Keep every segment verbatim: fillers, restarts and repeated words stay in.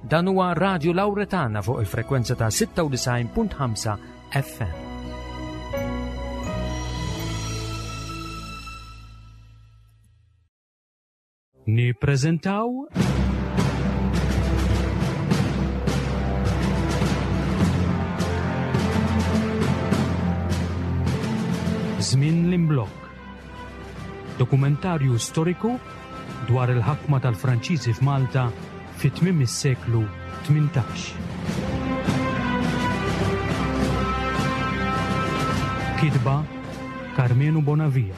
Dan huwa Radio Lauretana fuq il-frekwenza ta' sitta u disgħin punt ħamsa F M. Nippreżentaw Żmien l-Imblokk. Dokumentarju storiku dwar il-ħakma tal-Franċiżi f'Malta fi tmiem is-seklu tmintax. Kitba Karmenu Bonavia.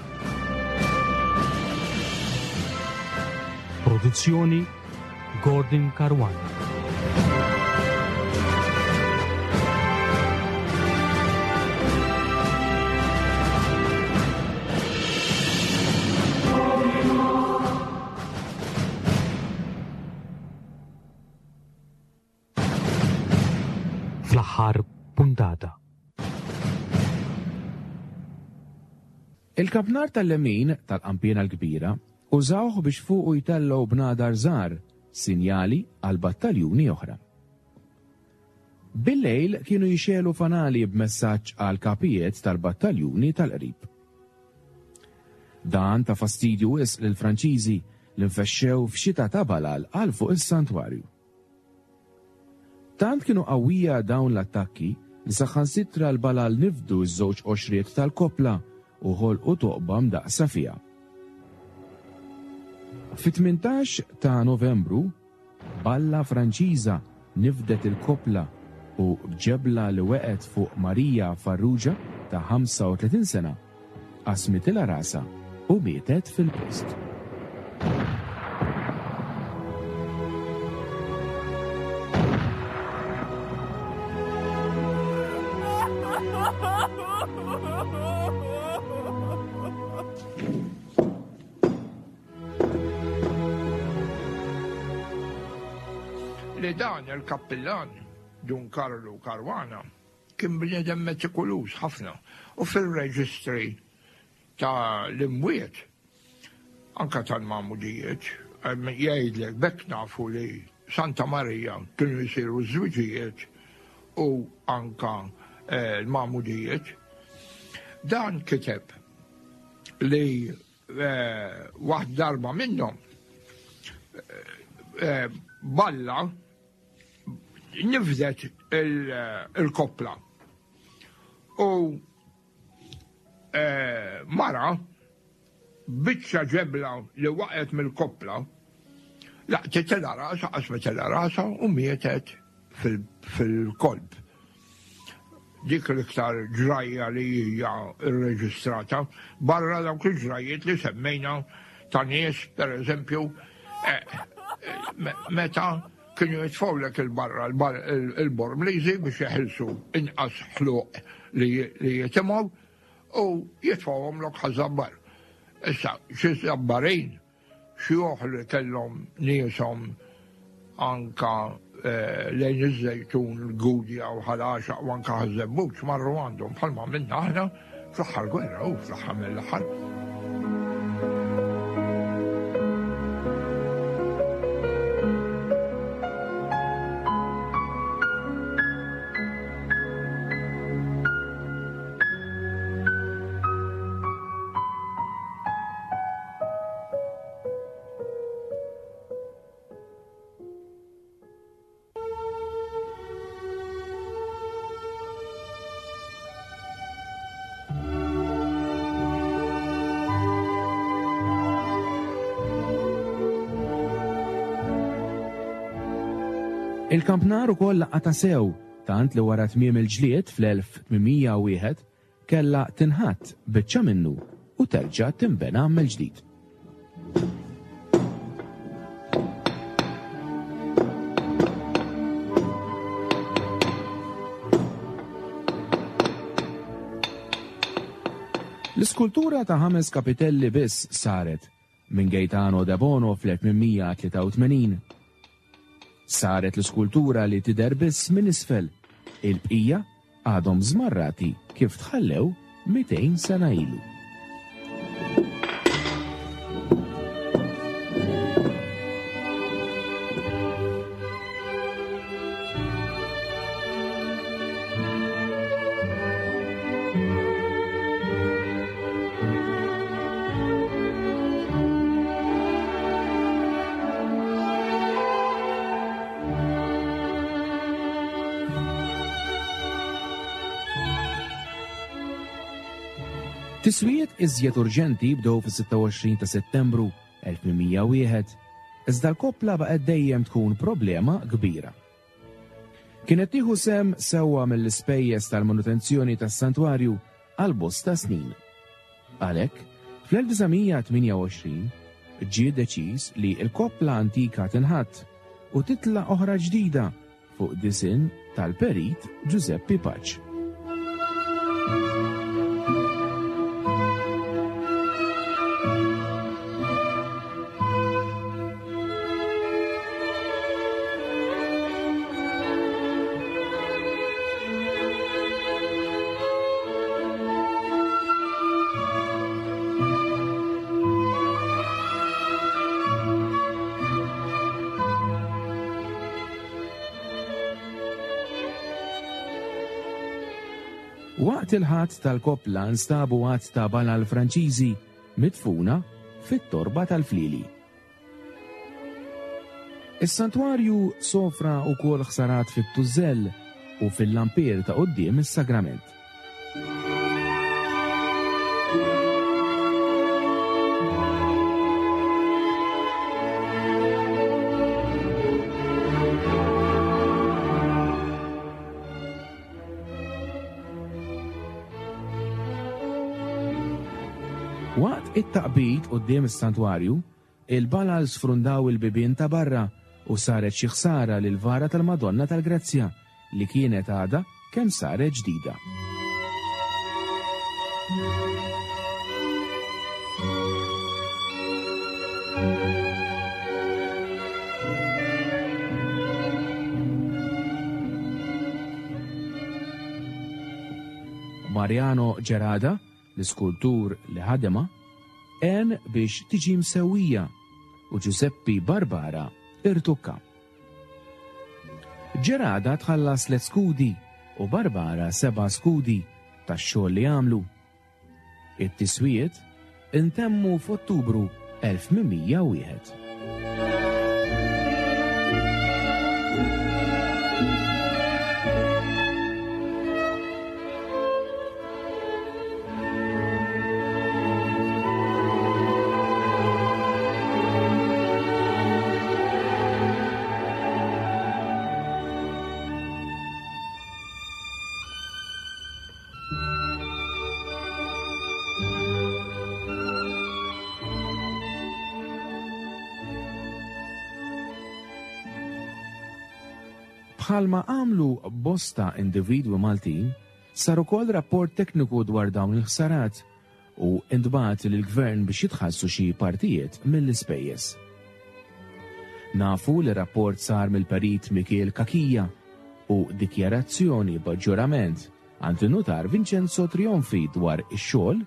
Produzzjoni Gordon Caruana. Fl-aħħar puntata. Il-kampnar tal-lemin tal-qanpiena l-kbira użawh biex fuqu jtellgħu bnadar żgħar, sinjali għal battaljuni oħra. Bil-lejl kienu jixegħlu fanali b'messaġġ għal kapijiet tal-battaljuni tal-qrib. Dan ta fastidju wisq lill-Franċiżi li nfexxew f'xita ta' balal għal fuq is-santwarju. Tant kienu qawwija dawn l-attakki li saħansitra l-balal nifdu ż-żewġ qoxriet tal-koppla u ħolqu toqba mdaqsa fiha. Fit-tmintax ta' Novembru, balla Franċiża nifdet il-koppla u b'ġebla li weqgħet fuq Marija Farrugia ta' ħamsa u tletin sena, qasmitilha rasha u mietet fil-post. Li dan il-kappillan, Dun Karlu Caruana, kien bniedem metikoluż ħafna u fil-reġistri ta' l-imwiet, anka tal-magħmudijiet, jgħidlek bekk nafu li Santa Maria kienu jisiru żwiġijiet u anka eh, l-magħmudijiet. Dan kiteb li eh, waħd darba minnhom eh, balla nifdet il-koppla. U mara biċċa ġebla li waqgħet mill-koppla laqtitilha rasha, qasmitilha rasha u mietet fil-kolb. Dik l-iktar ġrajja li hija rreġistrata barra dawk il-ġrajjiet li semmejna ta' nies, per eżempju, meta kienu jitfgħulek il-barra il-Bormliżi biex jeħilsu inqas ħluq li jitimgħu u jitfgħuhomlok Ħaż-Żabbar. Issa, xi Żabbarin, xjuħ li kellhom nieshom anka lejn iż-Żejtun, l-Gudja u Ħal Għaxaq u anka Ħaż-Żebbuġ marru għandhom bħalma minna aħna fl-aħħar gwerra u fl-aħħar mill-aħħar. Il-kampnar ukoll laqata sew, tant li wara tmiem il-ġlied fl-elf tmien mija u wieħed kella tinħatt biċċa minnu u terġa' tinbena mill-ġdid. L-iskultura ta' ħames kapitelli biss saret minn Gaetano de Bono fl-elf tmien mija tlieta u tmenin. Saret l-iskultura li tidher biss minn isfel. Il-bqija għadhom żmarrati kif tħallew mitejn sena ilu. Tiswijiet iżjed urġenti bdew fis-sitta u għoxrin ta' Settembru elf tmien mija u wieħed, iżda l-koppla baqgħet dejjem tkun problema kbira. Kienet tieħu sem sewwa mill-ispejjeż tal-manutenzjoni tas-santwarju għal bosta snin. Għalhekk, fl-elf disa' mija tmienja u għoxrin ġie deċiż li l-koppla antika tinħatt u titla' oħra ġdida fuq disinn tal-perit Giuseppe Pace. Waqt il-ħatt tal-koppla nstabu għadd ta' balal Franċiżi midfuna fit-torba tal-Flili. Is-santwarju sofra wkoll ħsarat fit-tużell u fil-lampier ta' quddiem is-sagrament. Waqt it-taqbid quddiem is-santwarju, il-balal sfrundaw il-bibien ta' barra u saret xi ħsara lil vara tal-Madonna tal-Grazzja li kienet għadha kemm saret ġdida. Mariano Gerada, l-iskultur li ħadema, għen biex tiġi msewwija u Giuseppe Barbara irtukka. Gerada tħallas tliet skudi u Barbara seba' skudi tax-xogħol li għamlu. It-tiswijiet intemmu f'Ottubru elf tmien mija u wieħed. Bħalma għamlu bosta individwi Maltin, sar ukoll rapport tekniku dwar dawn il-ħsarat u intbagħat lill-gvern biex jitħallsu xi partijiet mill-ispejjeż. Nafu li rapport sar mill-perit Mikiel Cachia u dikjarazzjoni b'aġġorament għand in-nutar Vincenzo Trionfi dwar ix-xogħol,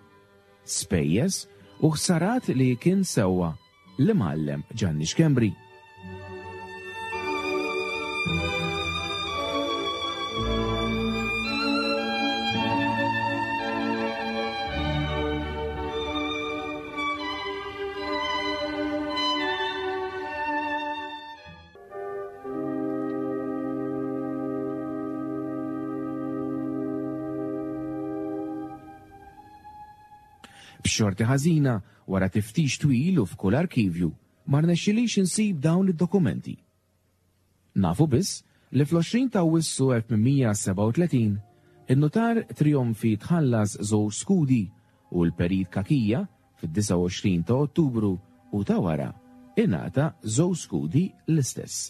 spejjeż u ħsarat li kien sewwa l-imgħallem Gianni Schembri. B'xorti ħażina, wara tiftix twil u f'kull arkivju, ma rnexxilix insib dawn id-dokumenti. Nafu biss li fl-għoxrin ta' Awwissu elf tmien mija sebgħa u tletin, in-nutar Trionfi tħallas żewġ skudi u l-perit Cachia fid-disa u għoxrin ta' Ottubru u ta' wara ingħata żewġ skudi l-istess.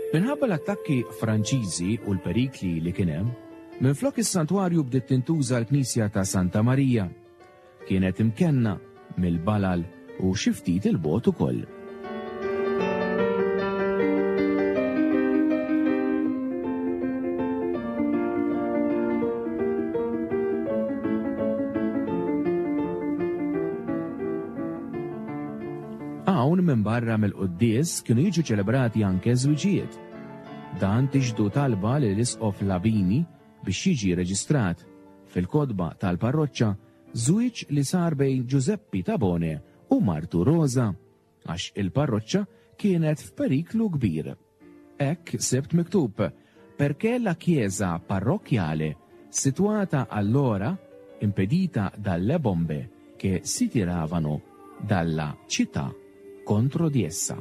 Minħabba l-attakki Franċiżi u l-perikli li kien hemm, minflok is-santwarju bdiet tintuża l-Knisja ta' Santa Marija. Kienet imkenna mill-balal u xi ftit il-bogħod ukoll. Hawn minbarra mill-quddies kienu jiġu ċelebrati anke żwiġijiet. Dan tixhdu talba li l-Isqof Labini biex jiġi reġistrat fil-kotba tal-parroċċa żwieġ li sar bejn Giuseppe Tabone u martu Rosa, għax il-parroċċa kienet f'periklu kbir. Hekk sibt miktub: "Perché la chiesa parrocchiale situata allora impedita dalle bombe che si tiravano dalla città contro di essa."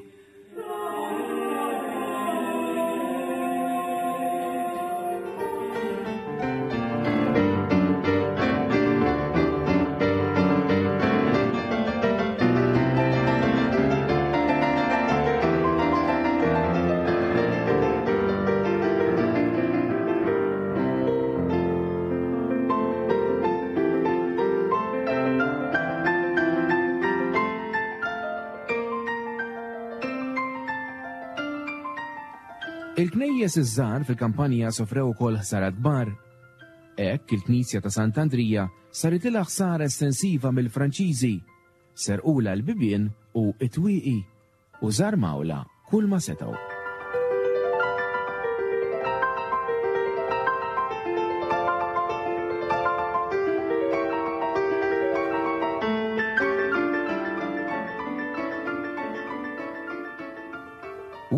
Il-knejjes iż-żgħar fil-kampanja sofrew ukoll ħsarat kbar. Hekk il-Knisja ta' Sant'Andrija saritilha ħsara estensiva mill-Franċiżi, serqulha l-bibien u t-twieqi u żarmawla kull ma setgħu.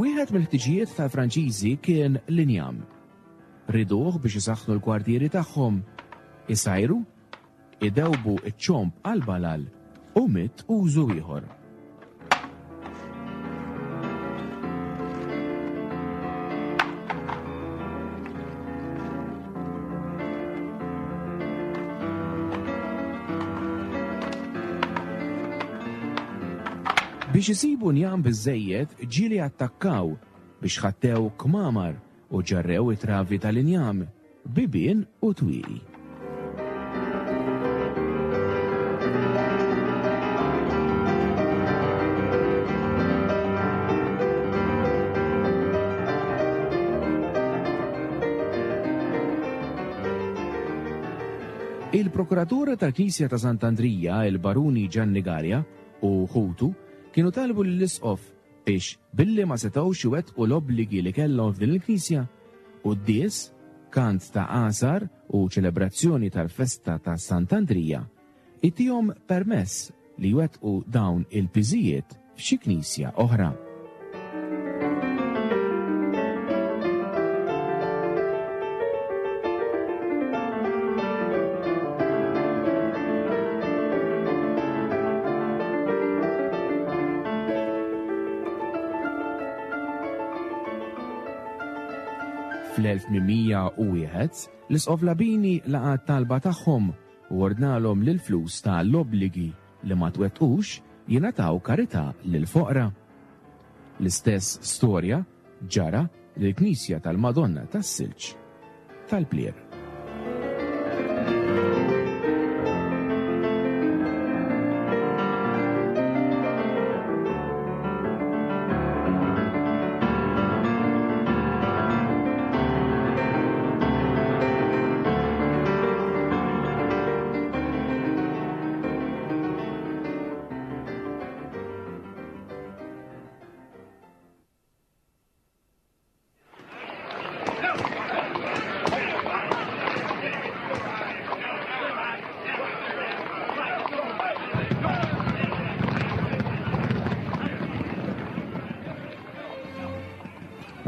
Wieħed mill-ħtiġijiet tal-Franċiżi kien l-injam. Riduh biex isaħħnu l-kwartieri tagħhom, isajru, idewbu ċ-ċomb għal-balal u mitt użu ieħor. Biex isibu njam biżżejjed ġieli attakkaw biex ħattew kmamar u ġarrew it-travi tal-injam, bibien u twieqi. Il-prokuratur tal-Knisja ta' Sant'Andrija, il-Baruni Gianni Galea u ħutu, kienu talbu lill-Isqof biex billi ma setgħux iwettqu l-obbligi li kellhom f'din il-Knisja, quddies, kant ta' għasar u ċelebrazzjoni tal-festa ta' Sant'Andrija, itihom permess li jwettqu dawn il-piżijiet f'xi knisja oħra. Fl-elf tmien mija u wieħed, l-Isqof Labini laqa' t-talba tagħhom u ordnalhom li l-flus ta' l-obbligi li ma twettqux jingħataw karità lill-foqra. L-istess storja ġara lill-Knisja tal-Madonna tas-Silġ tal-Plier.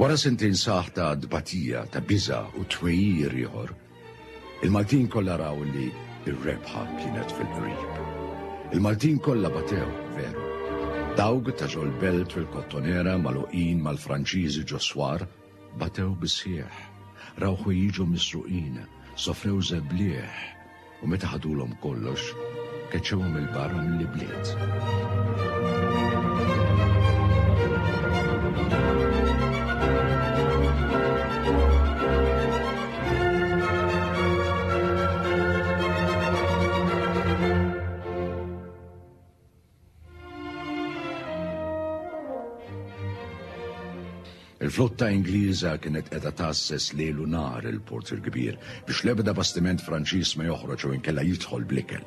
Wara sentejn saħ ta' dbatija, ta' biża' u twejjir ieħor, il-Maltin kollha raw li r-rebħa kienet fil-qrib. Il-Maltin kollha batew, veru. Dawk ta' ġol-belt fil-Kottonera magħluqin mal-Franċiżi ġo swar, batew bisħieħ, raw ħwejjiġhom misruqin, sofrew żeblieħ u meta ħadulhom kollox, keċċewhom il-barra mill-ibliet. Il-flotta Ingliża kienet qiegħda tgħasses lejl u nhar il-Port il-Kbir biex l-ebda bastiment Franċiż ma joħroġ u inkella jidħol bl-ikel.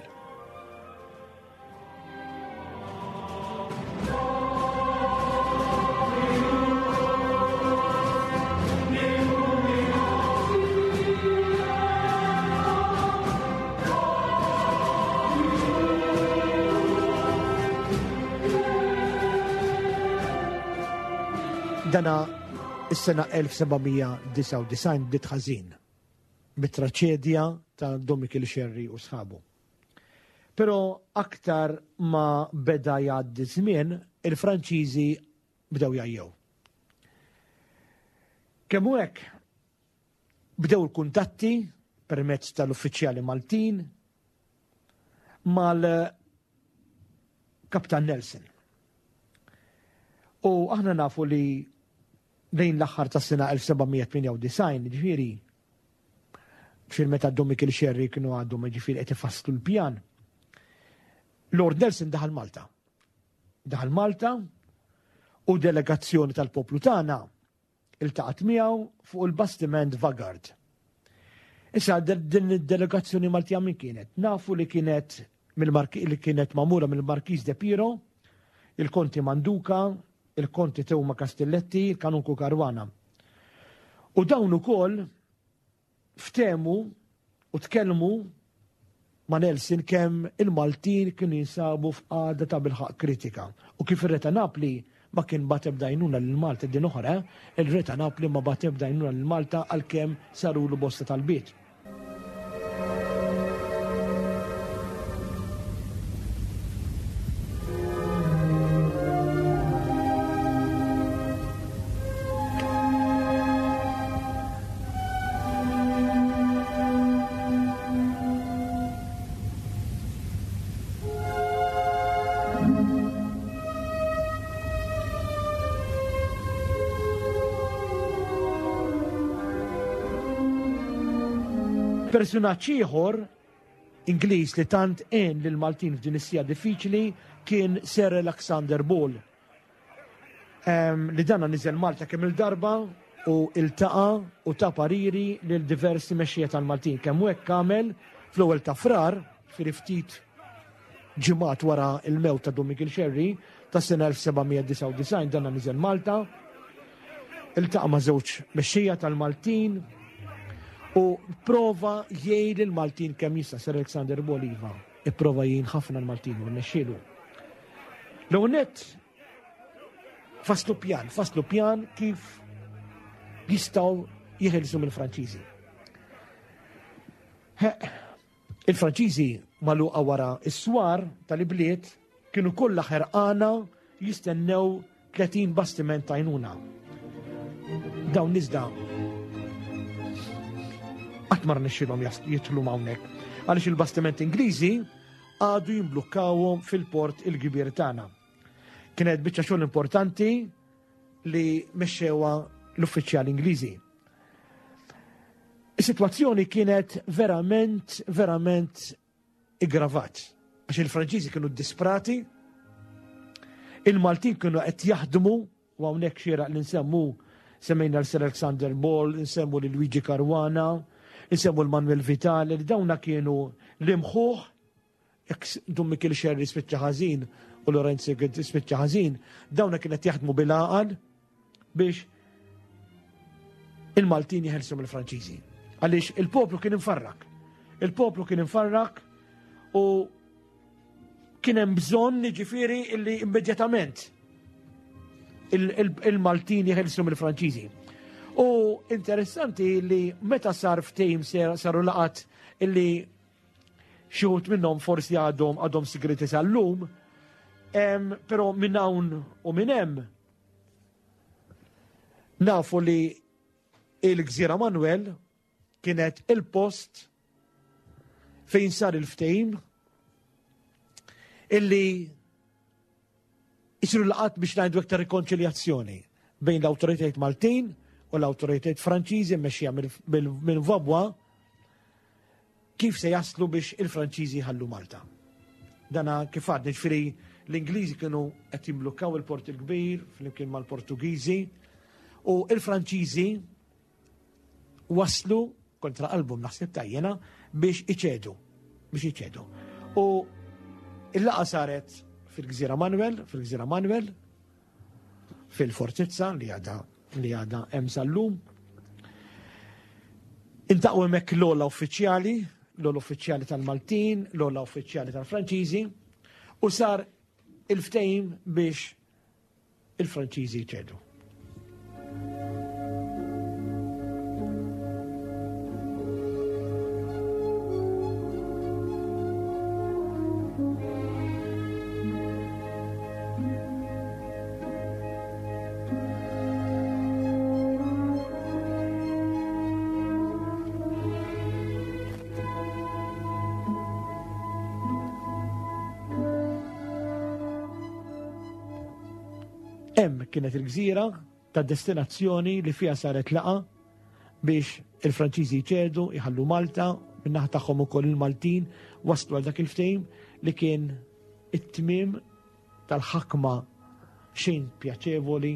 Dana is-sena elf seba' mija disgħa u disgħin bdiet ħażin bit-traċedja ta' Dom Mikiel Xerri u sħabu. Però aktar ma beda jgħaddi żmien, il-Franċiżi bdew jgħajjew. Kemm hu hekk, bdew il-kuntatti permezz tal-uffiċjali Maltin mal-Kaptan Nelson. U aħna nafu li lejn l-aħħar tas-sena elf seba' mija tmienja u disgħin, ġifieri, fil meta Dom Mikiel Xerri kienu għadhom ġifieri qed ifasslu l-pjan, Lord Nelson daħal Malta. Daħal Malta u delegazzjoni tal-poplu tagħna iltaqgħet miegħu fuq il-bastiment Vanguard. Issa din id-delegazzjoni Maltija min kienet? Nafu li kienet mill-Marki-, li kienet magħmula mill-Markiż de Piro, il-Konti Manduca, il-Konti Teuma Castelletti, il-Kanunku Caruana. U dawn ukoll ftehmu u tkellmu ma' Nelson kemm il-Maltin kienu jinsabu f'qagħda ta' bilħaq kritika. U kif ir-Re ta' Napli ma kien bagħat ebda għajnuna lil Malta din oħra, il-Re ta' Napli ma bagħat ebda għajnuna lil Malta għalkemm sarulu bosta talbiet. Personaġġ ieħor Ingliż li tant għen lil Maltin f'din is-sija diffiċli kien Sir Alexander Ball. Ehm, li dana niżel Malta kemm il-darba u iltaqa' u ta' pariri lil diversi mexxejja tal-Maltin. Kemm hekk għamel fl-ewwel ta' Frar, fi ftit ġimgħat wara l-mewt ta' Dom Mikiel Xerri tas-sena elf seba' mija disgħa u disgħin, dana niżel Malta, iltaqa' ma' żewġ mexxejja tal-Maltin u prova jgħid il-Maltin kemm jista'. Sir Alexander Ball iva, ipprova jgħin ħafna l-Maltin u rnexxielu. L-ewwel nett faslu pjan, faslu pjan kif jistgħu jeħilsu mill-Franċiżi. Il-Franċiżi magħluqa wara s-swar tal-ibliet kienu kollha ħerqana jistennew tletin bastiment tajnuna. Dawn iżda qatt ma rnexxielhom jas-, jidħlu hawnhekk, għaliex il-bastiment Ingliżi għadu jimblukkawhom fil-port il-kbir tagħna. Kienet biċċa xogħol importanti li mexxewha l-uffiċjali Ingliżi. Is-sitwazzjoni kienet verament, verament iggravat, għax il-Franċiżi kienu disprati, il-Maltin kienu qed jaħdmu, u hawnhekk xieraq li nsemmu, semmejna l-Sir Alexander Ball, nsemmu lil Luigi Caruana, nsemmu l-Manuel Vitale, li dawna kienu l-imħuħ, jekk Dom Mikiel Xerri spiċċa ħażin u Lorenzo spiċċa ħażin, dawna kienet jaħdmu bil-għaqal biex il-Maltin jeħelsu mill-Franċiżi. Għaliex il-poplu kien infarrak. Il-poplu kien infarrak u kien hemm bżonn jiġifieri illi immedjatament il-, il-, il-Maltin jeħelsu mill-Franċiżi. U interessanti li meta sar ftehim ser-, saru laqat illi xi wħud minnhom forsi għadhom, għadhom sigreti sal-lum, em, però minn hawn u minn hemm nafu li il-Gżira Manuel kienet il-post fejn sar il-ftehim illi jisiru laqat biex ngħidu iktar rikonċiljazzjoni bejn l-awtoritajiet Maltin u l-awtoritajiet Franċiżi mmexxija mill-, minn Vaubois, kif se jaslu biex il-Franċiżi jħallu Malta. Dana kif għadni, ġifieri l-Ingliżi kienu qed jimblukkaw il-Port il-Kbir flimkien mal-Portugiżi u il-Franċiżi waslu kontra qalbhom naħseb tajjena biex iċedu, biex iċedu. U il-laqgħa saret fil-Gżira Manuel, fil-Gżira Manuel, fil-Fortizza li għadha li għadha hemm sal-lum. Intaqgħu hemmhekk l-ogħla uffiċjali, l-ogħla uffiċjali tal-Maltin, l-ogħla uffiċjali tal-Franċiżi, u sar il-ftehim biex il-Franċiżi jċedu. Hemm kienet il-gżira ta' destinazzjoni li fiha saret laqa biex il-Franċiżi jċedu, jħallu Malta, min-naħa tagħhom ukoll il-Maltin waslu għal dak il-ftehim li kien it-tmiem tal-ħakma xejn pjaċevoli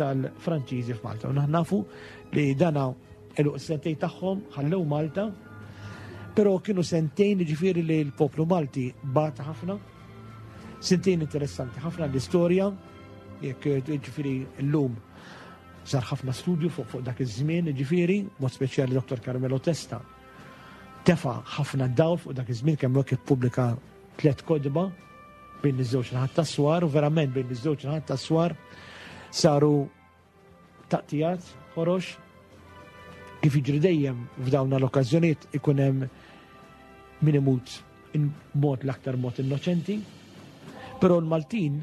tal-Franċiżi f'Malta. U nafu li dana eluq sentejn tagħhom ħallew Malta, però kienu sentejn ġifieri li l-poplu Malti bata ħafna, sentejn interessanti ħafna l-istorja, jekk ġifieri llum sar ħafna studju fuq fuq dak iż-żmien, ġifieri, mod speċjali Dottor Carmelo Testa tefa' ħafna dawl fuq dak iż-żmien kemm hekk ippubblika tliet kotba bejn iż-żewġ naħat tas-swar, u verament bejn iż-żewġ naħat tas-swar saru taqtijat ħorox kif jiġri dejjem f'dawn l-okkażjonijiet ikun hemm min imut mod l-aktar mod innoċenti, però l-Maltin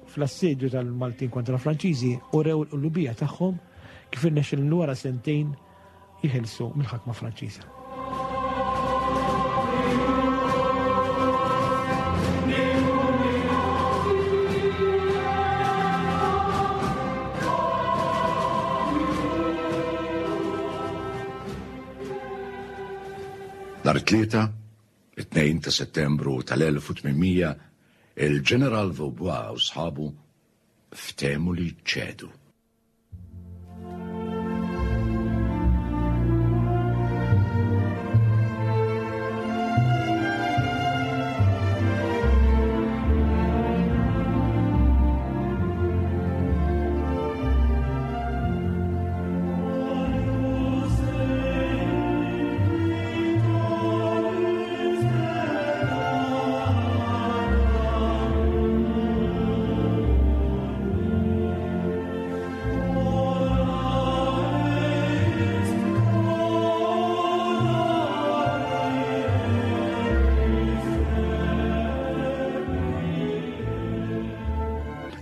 fl-assedju tal-Maltin kontra l-Franċiżi urew l-qlubija tagħhom kif irnexxilhom wara sentejn jeħilsu mill-ħakma Franċiża. Nhar it-Tlieta, it-tnejn ta' Settembru tal-elf u tmien mija, il-Ġeneral Vaubois u sħabu ftehmu li ċedu.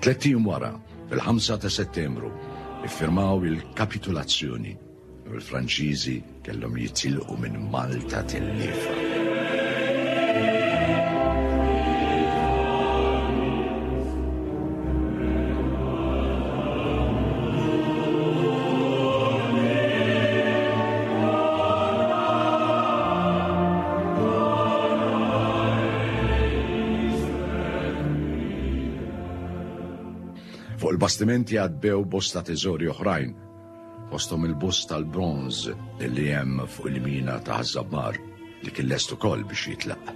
Tlett ijiem wara, fil-ħamsa ta' Settembru, iffirmaw il-kapitulazzjoni u l-Franċiżi kellhom jitilqu minn Malta telliefa. Fuq il-bastimenti għadbew bosta teżori oħrajn, fosthom il-bust tal-bronż li hemm fuq il-mina ta' Ħaż-Żabbar li kien lest ukoll biex jitlaq.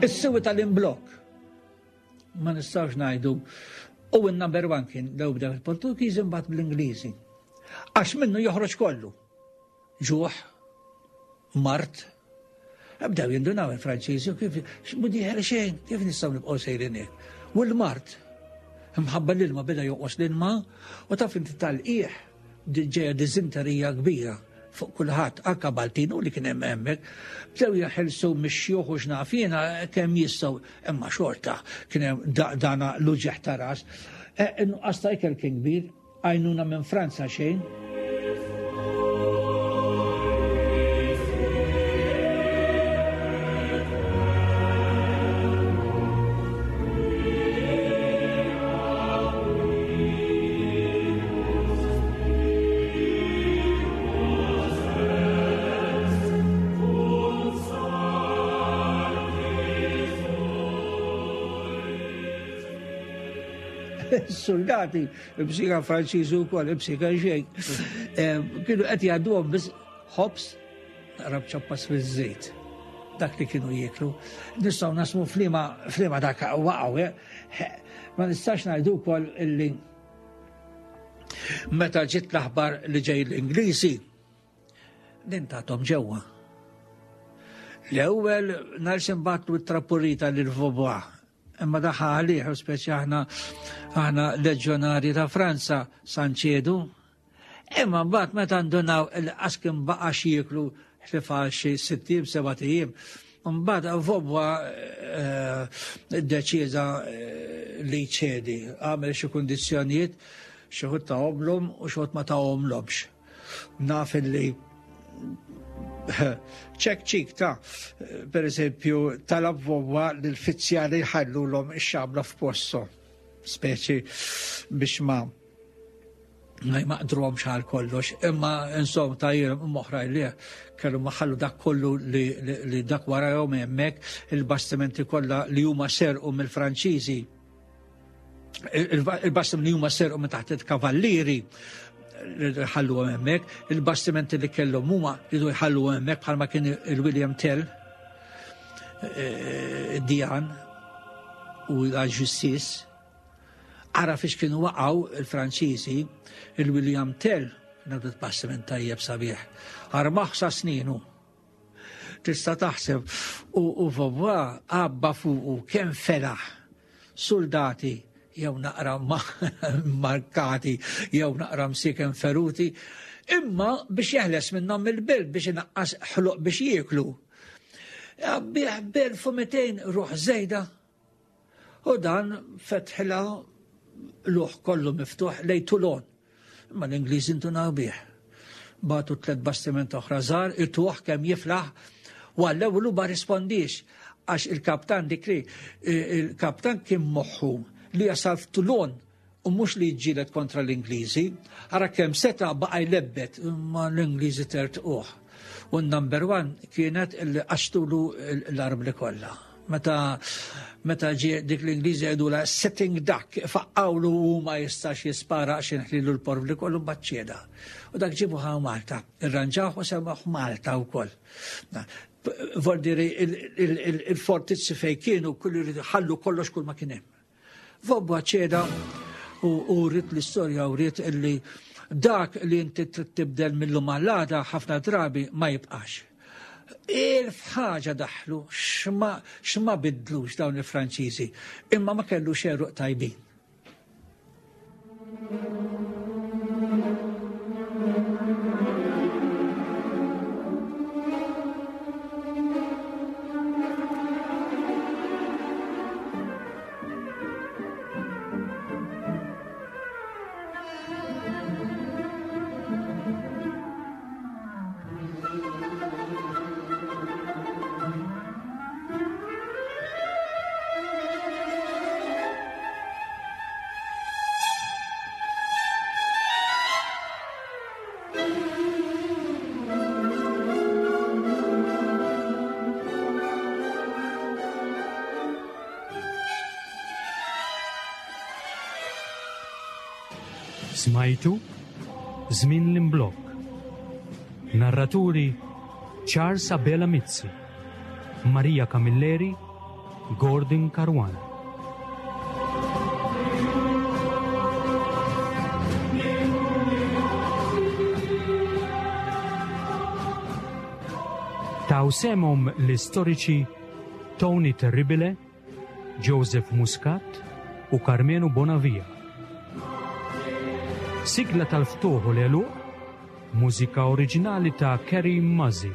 Is-siwi tal-imblok, ma nistgħux ngħidu, u n-number one kien lew bdew il-Portugiżi mbagħad bl-Ingliżi. Għax minnu joħroġ kollu. Ġuħ, mart, bdew jindunaw il-Franċiżi u kif x'mhu dieħel xejn, kif nistgħu nibqgħu sejrin hekk. U l-mart, mħabba l-ilma beda jonqos l-ilma u taf inti tal-qiegħ ġejja diżinterija kbira fuq kulħadd, anke Maltin u li kien hemm hemmhekk, bdew jeħilsu mix-xjuħ u x'naf jiena kemm jistgħu, imma xorta kien hemm dana l-uġigħ ta' ras. Innuqqas ta' ikel kien kbir, għajnuna minn Franza xejn. Soldati, b'sika Franċiżi wkoll, b'sika xejn. Kienu qed jgħadduhom biss ħobż rab ċappas fiż-żejt. Dak li kienu jieklu. Nistgħu nasmu flima flima dak waqgħu, eh? Ma nistax ngħidu wkoll illi meta ġiet l-aħbar li ġej l-Ingliżi, din tagħthom ġewwa. L-ewwel nhar xi t-trappurita lil Vaubois. Imma daħħa għalih, u speċi aħna aħna leġjonari ta' Franza sanċedu. Imma mbagħad meta ndunaw il-qas kien baqa' jieklu ħlifa xi sitt ijiem, seba' ijiem, Mbagħad Vaubois iddeċieda li jċedi, għamel xi kundizzjonijiet, xi wħud tahomlhom u xi wħud ma tahomlhomx. Naf li ċek ċik ta' per eżempju talab Vaubois li l-fizzjali jħallulhom ix-xabla f'posthom, speċi biex ma ma jmaqdruhomx għal kollox, imma insomma ta' jiem oħra li kellu maħallu dak kollu li, li, li dak warahom hemmhekk il-bastimenti kollha li huma serqu mill-Franċiżi, il-bastimenti li huma serqu minn taħt il-kavallieri li ħalluhom hemmhekk, il-bastimenti li kellhom huma li jħalluhom hemmhekk bħalma kien il-William Tell, Diane u l-Justice. Ara fiex kienu waqgħu il-Franċiżi, il-William Tell, nabdu bastiment tajjeb sabiħ, armaħ sa sninu. Tista' taħseb u, u Vaubois għabba fuqu kemm felaħ soldati jew naqra markati jew naqra msiken feruti, imma biex jeħles minnhom il-belt biex inaqqas ħloq biex jieklu. Bieħ b'elf u mitejn ruħ żejda. U dan fetħila luħ kollu miftuħ lej Toulon. Imma l-Ingliżi ntunaw bih. Batu tliet bastiment oħra żgħar, ituħ kemm jiflaħ, u għall-ewwel ma rispondix għax il-kaptan dik li il-kaptan kien moħħu li jasal f'Toulon u mhux li jiġġieled kontra l-Ingliżi. Ara kemm seta' baqa' jlebbet, imma l-Ingliżi tertquh. U n-number one kienet li qaxtulu l-arbli kollha. Meta, meta ġie dik l-Ingliżi jgħidula sitting duck, faqqawlu u ma jistax jispara għax inħlilu l-porvli kollu baċċieda. U dak ġibu ħaw Malta, irranġawh u semmaħ Malta wkoll. Voldiri il-fortizzi fej kienu kullu jridu ħallu kollox kull ma kien hemm. Vaubois ċeda u rrit l-istorja u rrit illi dak li inti trid tibdel mill-lum għall-għada ħafna drabi ma jibqax. Elf ħaġa daħlu x'ma, x'ma bidlux dawn il-Franċiżi, imma ma kellu xeruq tajbin. Smajtu Żmien l-Imblokk. Narraturi Charles Abela Mizzi, Maria Camilleri, Gordon Caruana. Taw semhom l-istoriċi Tony Terribile, Joseph Muscat u Carmenu Bonavia. Sigla tal-ftuħ u l-għeluq, mużika oriġinali ta' Kerry Muzzy.